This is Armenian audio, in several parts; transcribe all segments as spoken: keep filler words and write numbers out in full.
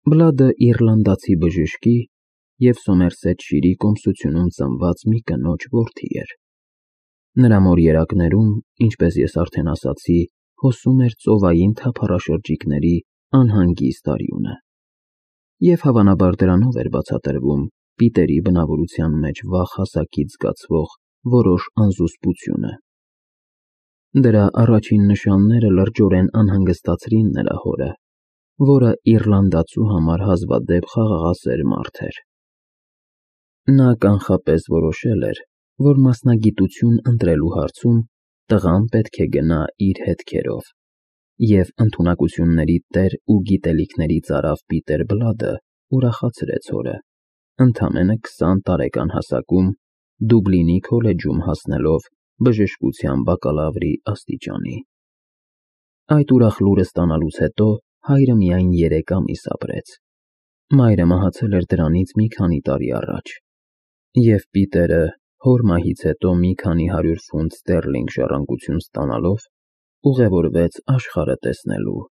Բլադը իռլանդացի բժշկի և Սոմերսեթշիրի կոմսությունում ծնված մի կնոջ որդի էր։ Նրա մորերակներում, ինչպես ես արդեն ասացի, հոսում էր ծովային թափառաշրջիկների անհանգիստ արյունը, և հավանաբար դրանով էր բացատրվում Պիտերի բնավորության մեջ վաղ հասակից զգացվող որոշ անզուսպությունը։ Դրա առաջին նշանները լրջորեն անհանգստացրին նրա հորը, որը իռլանդացու համար հազվադեպ խաղաղասեր մարդ էր։ Նա կանխապես որոշել էր, որ մասնագիտություն ընտրելու հարցում տղան պետք է գնա իր հետքերով, և ընդունակությունների տեր ու գիտելիքների ծարավ Պիտեր Բլադը ուրախացրեց հորը, ընդամենը քսան տարեկան հասակում Դուբլինի քոլեջում հասնելով բժշկության բակալավրի աստիճանի։ Այդ ուրախ լուրը ստանալուց հետո հայրը միայն երեք ամիս ապրեց։ Մայրը մահացել էր դրանից մի քանի տարի առաջ, և Պիտերը հոր մահից հետո մի քանի հարյուր ֆունտ ստերլինգ ժառանգություն ստանալով ուղևորվեց աշխարհը տեսնելու,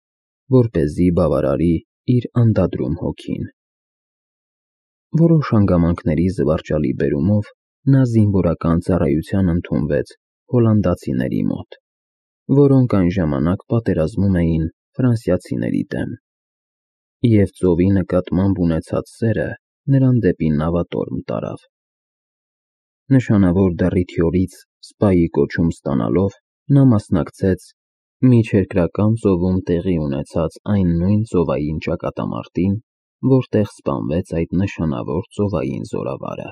որպեսզի բավարարի իր անդադրում հոգին։ Որոշ հանգամանքների զվարճալի բերումով նա զինվորական ծառայության ընդունվեց հոլանդացիների մոտ, որոնք այն ժամանակ պատերազմում էին ֆրանսիացիների դեմ, և ծովի նկատմամբ ունեցած սերը նրան դեպի նավատորմ տարավ։ Նշանավոր դռիթյորից սպայի կոչում ստանալով նա մասնակցեց Միջերկրական ծովում տեղի ունեցած այն նույն ծովային ճակատամարտին, որտեղ սպանվեց այդ նշանավոր ծովային զորավարը։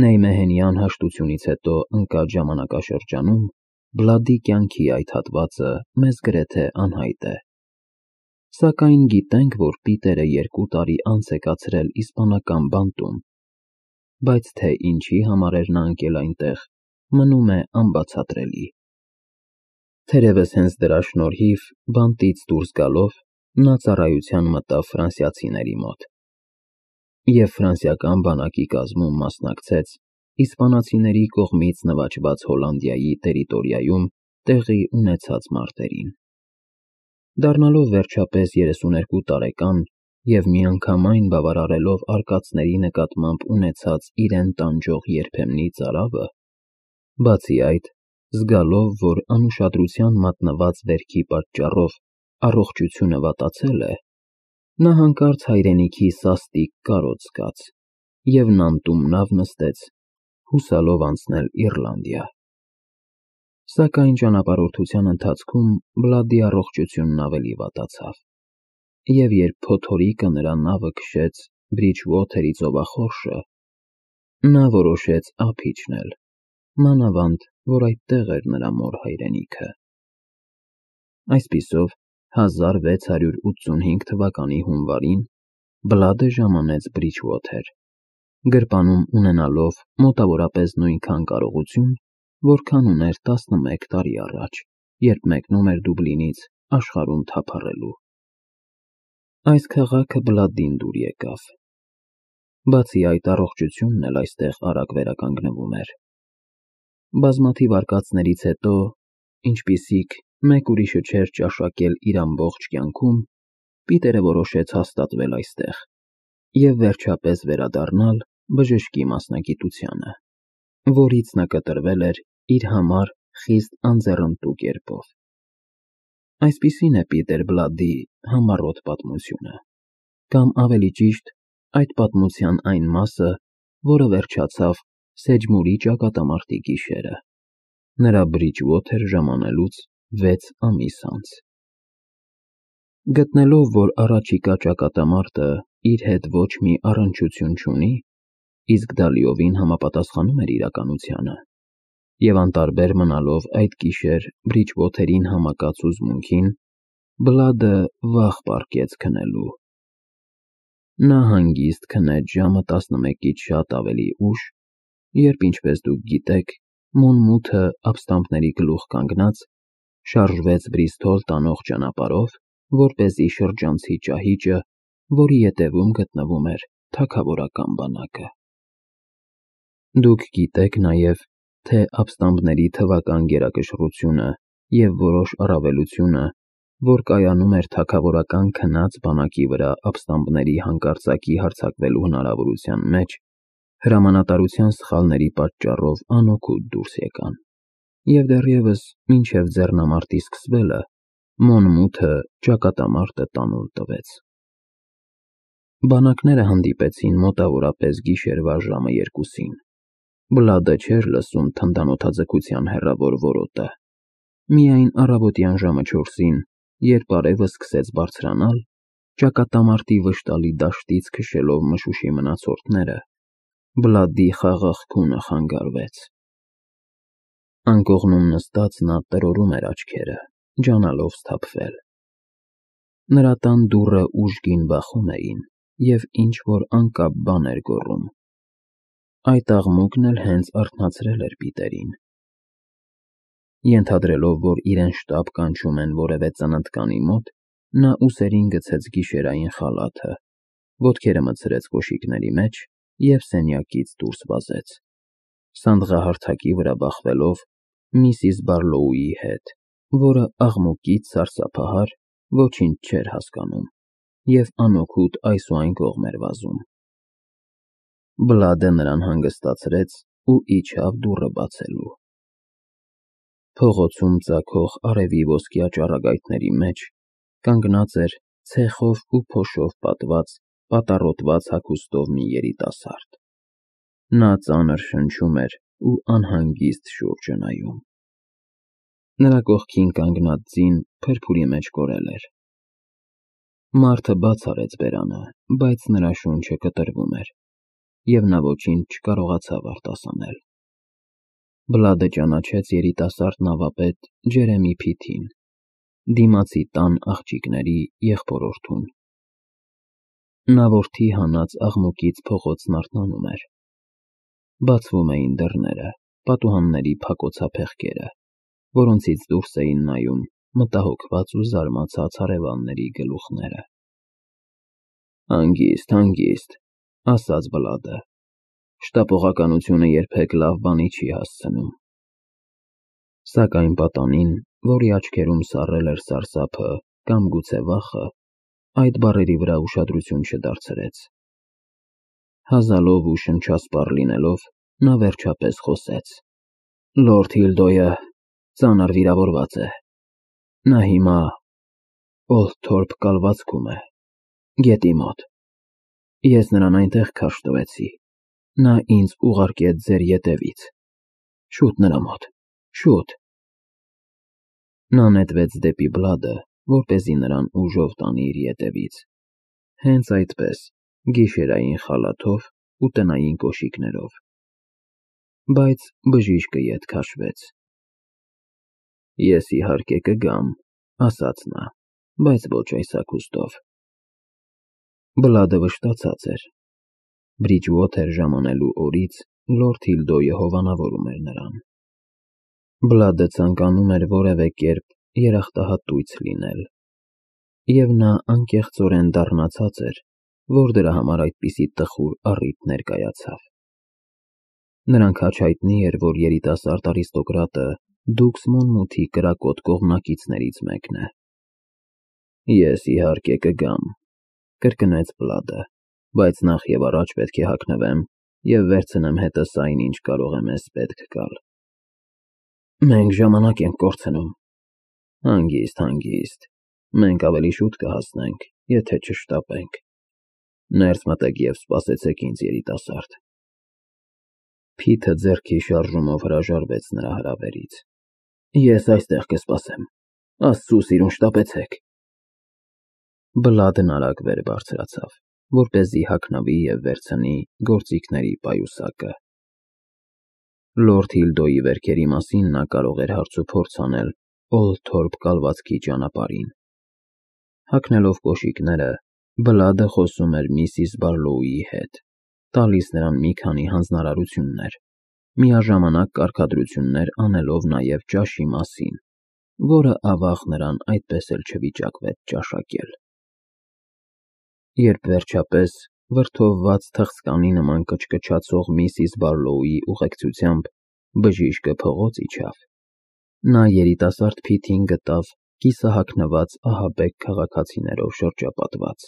Նեյմեհենյան հաշտությունից հետո ընկած ժամանակաշրջանում Բլադի կյանքի այդ հատվածը մեզ գրեթե անհայտ է։ Սակայն գիտենք, որ Պիտերը երկու տարի անց է կացրել իսպանական բանտում, բայց թե ինչի համար էր նա ընկել այնտեղ, մնում է անբացատրելի։ Թերևս հենց դրա շնորհիվ, բանտից դուրս գալով, նա ծառայության մտավ ֆրանսիացիների մոտ և ֆրանսիական բանակի կազմում մասնակցեց իսպանացիների կողմից նվաճված Հոլանդիայի տերիտորիայում տեղի ունեցած մարտերին։ Դառնալով վերջապես երեսուներկու տարեկան և միանգամայն բավարարելով արկածների նկատմամբ ունեցած իրեն տանջող երբեմնի ծարավը, բացի այդ, զգալով, որ անուշադրության մատնված վերքի պատճառով առողջությունը վատացել է, նա հանկարծ հայրենիքի սաստիկ կարոտ զգաց և նանտում նավ նստեց, հուսալով անցնել Իռլանդիա։ Սակայն ճանապարհորդության ընթացքում Բլադի առողջությունն ավելի վատացավ, և երբ փոթորիկը նրա նավը քշեց Բրիջուոթերի ծովախորշը, նա որոշեց ափ իջնել, մանավանդ որ այդտեղ էր նրա մոր հայրենիքը։ Այսպիսով, հազար վեց հարյուր ութսունհինգ թվականի հունվարին Բլադը ժամանեց Բրիջուոթեր, գրպանում ունենալով մոտավորապես նույնքան կարողություն, որքան ուներ տասնմեկ տարի առաջ, երբ մեկնում էր Դուբլինից աշխարհում թափառելու։ Այս քաղաքը Բլադին դուր եկավ։ Բացի այդ, առողջությունն էլ այստեղ արագ վերականգնվում էր։ Բազմաթիվ արկածներից հետո, ինչպիսիք մեկ ուրիշը չէր ճաշակել իր ամբողջ կյանքում, Պիտերը որոշեց հաստատվել այստեղ և վերջապես վերադառնալ բժշկի մասնագիտությանը, որից նա կտրվել էր իր համար խիստ անձեռնտու կերպով։ Այսպիսին է Պիտեր Բլադի համառոտ պատմությունը, կամ ավելի ճիշտ, այդ պատմության այն մասը, որը վերջացավ Սեջմուրի ճակատամարտի գիշերը, նրա Բրիջուոթեր ժամանելուց վեց ամիս անց։ Գտնելով, որ առաջիկա ճակատամարտը իր հետ ոչ մի առնչություն չունի, իսկ դա լիովին համապատասխանում էր իրականությանը, և անտարբեր մնալով այդ գիշեր Բրիջուոթերին համակած հուզմունքին, Բլադը վաղ պառկեց քնելու։ Նա հանգիստ քնեց ժամը տասնմեկից շատ ավելի ուշ, երբ, ինչպես դուք գիտեք, Մոնմութը ապստամբների գլուխ կանգնած, շարժվեց Բրիստոլ տանող ճանապարհով, որպեսզի շրջանցի ճահիճը, որի ետևում գտնվում էր թագավորական բանակը։ Դուք գիտեք նաև, թե ապստամբների թվական գերակշռությունը և որոշ առավելությունը որ կայանում էր թագավորական քնած բանակի վրա ապստամբների հանկարծակի հարձակվելու հնարավորության մեջ, հրամանատարության սխալների պատճառով անօգուտ դուրս եկան, և դեռևս մինչև ձեռնամարտի սկսվելը Մոնմութը ճակատամարտը տանուլ տվեց։ Բանակները հանդիպեցին մոտավորապես գիշերվա ժամը երկուսին։ Բլադը չէր լսում թնդանոթաձգության հեռավոր որոտը։ Միայն առավոտյան ժամը չորսին, երբ արևը սկսեց բարձրանալ, ճակատամարտի վշտալի դաշտից քշելով մշուշի մնացորդները, Բլադի խաղաղ քունը խանգարվեց։ Անկողնում նստած նա տրորում էր աչքերը, ջանալով սթափվել։ Նրա տան դուռը ուժգին բախում էին, և ինչ-որ անկապ բան էր գոռում։ Այդ աղմուկն էլ հենց արթնացրել էր Պիտերին։ Ենթադրելով, որ իրեն շտապ կանչում են որևէ ծննդկանի մոտ, նա ուսերին գցեց գիշերային խալաթը, ոտքերը մտցրեց կոշիկների մեջ և սենյակից դուրս վազեց, սանդղահարթակի վրա բախվելով միսիս Բարլոուի հետ, որը աղմուկից սարսափահար ոչինչ չէր հասկանում և անօգուտ այս ու այն կողմ էր վազում։ Բլադը նրան հանգստացրեց ու իջավ դուռը բացելու։ Փողոցում ծագող արևի ոսկյա ճառագայթների մեջ կանգնած էր ցեխով ու փոշով պատված, պատառոտված հագուստով մի երիտասարդ։ Նա ծանր շնչում էր ու անհանգիստ շուրջը նայում։ Նրա կողքին կանգնած ձին փրփուրի մեջ կորել էր։ Մարդը բաց արեց բերանը, բայց նրա շունչը կտրվում էր, և նա ոչինչ չկարողացավ արտասանել։ Բլադը ճանաչեց երիտասարդ նավապետ Ջերեմի Փիթին, դիմացի տան աղջիկների եղբորորդուն։ Նա որդի հանած աղմուկից փողոցն արթնանում էր։ Բացվում էին դռները, պատուհանների փակոցա փեղկերը, որոնցից դուրս էին նայում մտահոգված ու զարմացած հարևանների գլուխները։ «Հանգիստ, հանգիստ», ասաց Բլադը, «շտապողականությունը երբեք լավ բանի չի հասցնում»։ Սակայն պատանին, որի աչքերում սառել էր սարսափը կամ գուցե վախը, այդ բառերի վրա ուշադրություն չդարձրեց։ Հազալով ու շնչասպառ լինելով, նա վերջապես խոսեց. «Լորդ Հիլդոյը ծանր վիրավորված է։ Նա հիմա Օլթորփ կալվածքում է, գետի մոտ։ Ես նրան այնտեղ քարշ տվեցի։ Նա ինձ ուղարկեց ձեր ետևից։ Շուտ նրա մոտ, շուտ»։ Նա նետվեց դեպի Բլադը, որպեսզի նրան ուժով տանի իր ետևից, հենց այդպես, գիշերային խալաթով ու տնային կոշիկներով։ Բայց բժիշկը ետ քաշվեց։ «Ես իհարկե կգամ», ասաց նա, «բայց ոչ այս հագուստով»։ Բլադը վշտացած էր։ Բրիջուոթեր ժամանելու օրից լորդ Հիլդոյը հովանավորում էր նրան։ Բլադը ցանկանում էր որևէ կերպ երախտահատույց լինել, և նա անկեղծորեն դառնացած էր, որ դրա համար այդպիսի տխուր առիթ ներկայացավ։ Նրան քաջ հայտնի էր, որ երիտասարդ արիստոկրատը դուքս Մոնմութի կրակոտ կողմնակիցներից մեկն է։ «Ես իհարկե կգամ», կրկնեց Բլադը, «բայց նախ և առաջ պետք է հագնվեմ և վերցնեմ հետս այն, ինչ կարող է մեզ պետք գալ»։ «Մենք ժամանակ ենք կորցնում»։ «Հանգիստ, հանգիստ, մենք ավելի շուտ կհասնենք, եթե չշտապենք։ Ներս մտեք և սպասեցեք ինձ, երիտասարդ»։ Փիթը ձեռքի շարժումով հրաժարվեց նրա հրավերից։ «Ես այստեղ կսպասեմ, Աստծու սիրուն, շտապեցեք»։ Բլադն արագ վեր բարձրացավ, որպեսզի հագնվի և վերցնի գործիքների պայուսակը։ Լորդ Հիլդոյի վերքերի մասին նա կարող էր հարցուփորձ անել Օլթորփ կալվածքի ճանապարհին։ Հագնելով կոշիկները, Բլադը խոսում էր միսիս Բարլոուի հետ, տալիս նրան մի քանի հանձնարարություններ, միաժամանակ կարգադրություններ անելով նաև ճաշի մասին, որը, ավաղ, նրան այդպես էլ չվիճակվեց ճաշակել։ Երբ վերջապես, վրդովված թխծկանի նման կչկչացող միսիս Բարլոուի ուղեկցությամբ բժիշկը փողոց իջավ, նա երիտասարդ Փիթին գտավ կիսահագնված ահաբեկ քաղաքացիներով շրջապատված։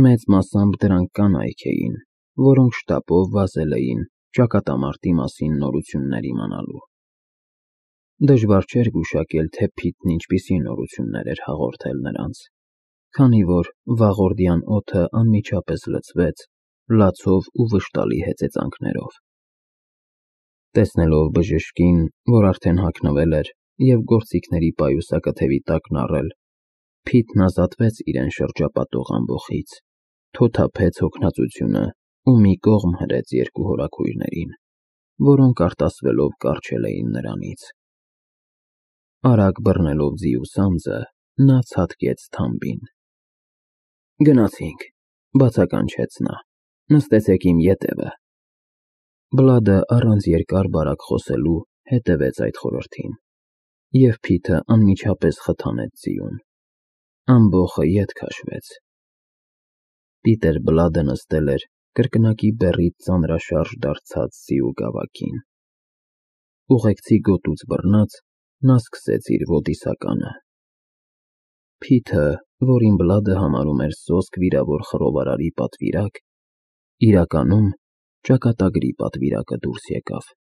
Մեծ մասամբ դրանք կանայք էին, որոնք շտապով վազել էին ճակատամարտի մասին նորություններ իմանալու։ Դժվար չէր գուշակել, թե Փիթն ինչպիսի նորություններ էր հաղորդել նրանց, քանի որ վաղորդյան օդը անմիջապես լցվեց լացով ու վշտալի հեծեծանքներով։ Տեսնելով բժշկին, որ արդեն հագնվել էր և գործիքների պայուսակաթևի տակն առել, Փիթն ազատվեց իրեն շրջապատող ամբոխից, թոթափեց հոգնածությունը ու մի կողմ հրեց երկու հորաքույրներին, որոնք արտասվելով կառչել էին նրանից։ Արագ բռնելով ձիու սանձը, նա ցատկեց թամբին։ Գնացինք, բացականչեց նա, նստեցեք իմ ետևը։ Բլադը առանց երկար-բարակ խոսելու հետևեց այդ խորհրդին, և Փիթը անմիջապես խթանեց ձիուն։ Ամբոխը ետ քաշվեց։ Պիտեր Բլադը նստել էր կրկնակի բեռից ծանրաշարժ դարձած ձիու գավակին։ Ուղեկցի գոտուց բռնած, նա սկսեց իր ոդիսականը։ Փիթը, որին Բլադը համարում էր սոսկ վիրավոր խռովարարի պատվիրակ, իրականում ճակատագրի պատվիրակը դուրս եկավ։